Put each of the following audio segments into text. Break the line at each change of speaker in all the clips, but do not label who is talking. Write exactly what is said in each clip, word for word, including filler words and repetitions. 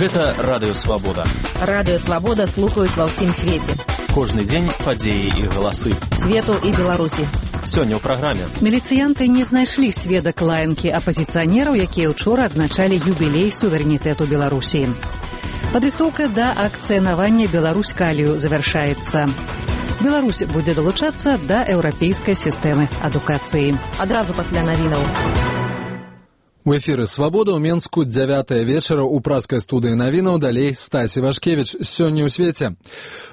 Гэта Радыё Свабода.
Радыё Свабода слухаюць ва ўсім свеце.
Кожны дзень падзеі і галасы.
Свету і Беларусі.
Сёння ў праграме.
Міліцыянты не знайшлі сведак лаянкі апазіцыянераў, якія ўчора адзначалі юбілей суверэнітэту Беларусі. Падрыхтоўка да акцыянавання Беларусь-Калію завяршаецца. Беларусь будзе далучацца да еўрапейскай сістэмы адукацыі.
Адразу пасля навінаў.
У эфіры «Свабода» ў Менску дзявятая вечара ў праскай студыі навінаў, далей Стасі Вашкевіч. Сёння ў свеце.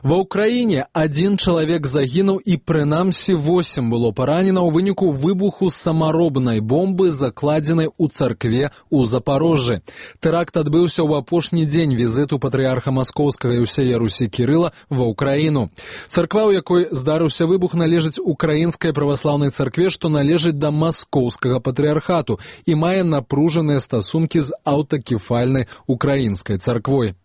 Ва ўкраіне адзін чалавек загінуў і прынамсі восем было паранена ў выніку выбуху самаробнай бомбы, закладзенай у царкве ў Запарожжы. Тэракт адбыўся ў апошні дзень візіту патрыарха маскоўскага і ўсяе Русі Кірыла ва ўкраіну. Царква, у якой здарыўся выбух, належыць украінскай праваслаўнай царкве, што належыць да маскоўскага патрыархату і мае на напружаныя стасункі з аўтакефальнай украінскай царквой.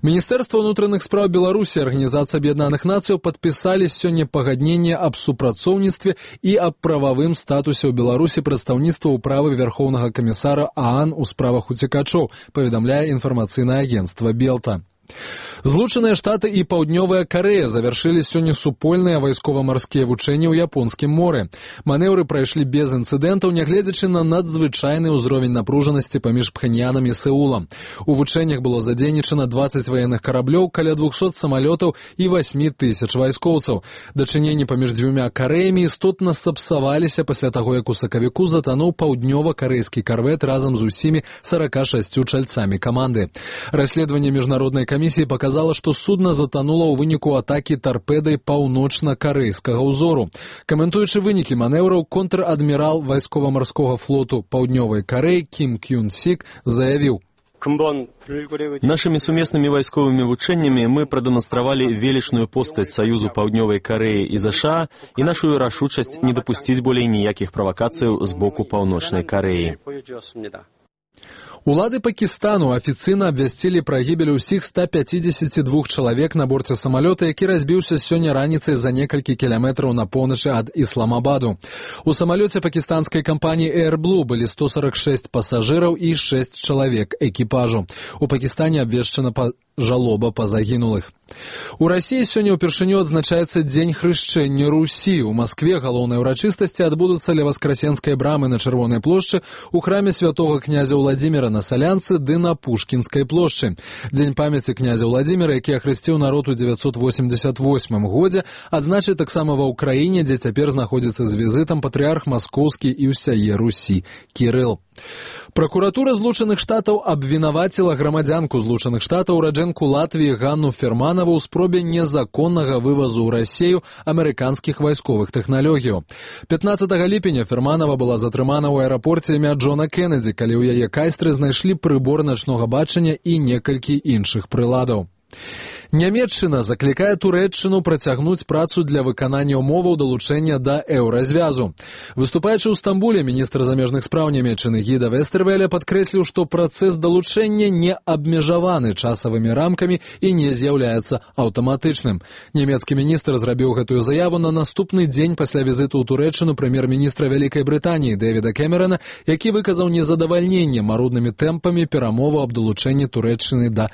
Міністэрства ўнутраных спраў Беларусі і Арганізацыя Аб'яднаных Нацыяў падпісалі сёння пагадненне аб супрацоўніцтве і аб прававым статусе ў Беларусі прадстаўніцтва ўправы Вярхоўнага камісара ААН у справах уцекачоў, паведамляе інфармацыйнае агенцтва Белта. Злучаныя Штаты і Паўднёвая Карэя завяршылі сёння супольныя вайскова-марскія вучэнні ў Японскім моры. Манеўры прайшлі без інцыдэнтаў, нягледзячы на надзвычайны ўзровень напружанасці паміж Пхеньянам і Сеулам. У вучэннях было задзейнічана дваццаць ваенных караблёў, каля двухсот самалётаў і восьмі тысяч вайскоўцаў. Дачыненні паміж дзвюмя Карэямі істотна сапсаваліся пасля таго, як у сакавіку затануў паўднёва-карэйскі карвет разам з усімі сарака шасцю чальцамі каманды. Расследаванне міжнароднай камісіі показала, што судна затанула ў выніку атакі тарпедай паўночна-карэйскага ўзору. Каментуючы вынікі манеўраў, контр-адмірал вайскова-марскога флоту Паўднёвай Карэі Кім Кюн Сік заявіў:
Нашими сумеснымі вайсковымі вучэннямі мы прадэманстравалі велічную постаць Саюзу Паўднёвай Карэі і ЗША і нашу рашучасць не дапусціць болей ніякіх правакацыяў з боку Паўночнай Карэі.
Улады Пакістану афіцыйна абвясцілі пра гібель усіх ста пяцідзесяці двух чалавек на борце самалёта, які разбіўся сёння раніцай за некалькі кіламетраў на поўначы ад Ісламабаду. У самалёце пакістанскай кампаніі Air Blue былі сто сорок шэсць пасажыраў і шэсць чалавек экіпажу. У Пакістане абвешчана па жалоба па загінулых. У Расіі сёння ўпершыню адзначаецца Дзень хрышчэння Русі. У Маскве галоўныя ўрачыстасці адбудуцца ля Васкрасенскай брамы на Чырвонай плошчы, у храме святога князя Ўладзіміра на Салянцы ды на Пушкінскай плошчы. Дзень памяці князя Ўладзіміра, які ахрысціў народ у дзевяцьсот восемьдзесят восьмым годзе, адзначыць таксама ва ўкраіне, дзе цяпер знаходзіцца з візітам патрыарх маскоўскі і ўсяе Русі Кірыл. Пракуратура Злучаных Штатаў абвінаваціла грамадзянку Злучаных Штатаў, ураджэнку Латвіі Ганну Ферманову ў спробе незаконнага вывазу ў Расію амерыканскіх вайсковых тэхналогіяў. пятнаццатага ліпеня Ферманова была затрымана ў аэрапорце імя Джона Кеннеді, калі ў яе кайстры знайшлі прыбор начнога бачання і некалькі іншых прыладаў. Нямецчына заклікае Турэччыну працягнуць працу для выканання ўмоваў далучэння да еўразвязу. Выступаючы ў Стамбуле, міністр замежных спраў Нямецчыны Гіда Вестэрвеля падкрэсліў, што працэс далучэння не абмежаваны часавымі рамкамі і не з'яўляецца аўтаматычным. Нямецкі міністр зрабіў гэтую заяву на наступны дзень пасля візіту ў Турэччыну прэм'ер-міністра Вялікай Брытаніі Дэвіда Кэмерана, які выказаў незадавальненне маруднымі тэмпамі перамоваў аб далучэнні Турэччыны да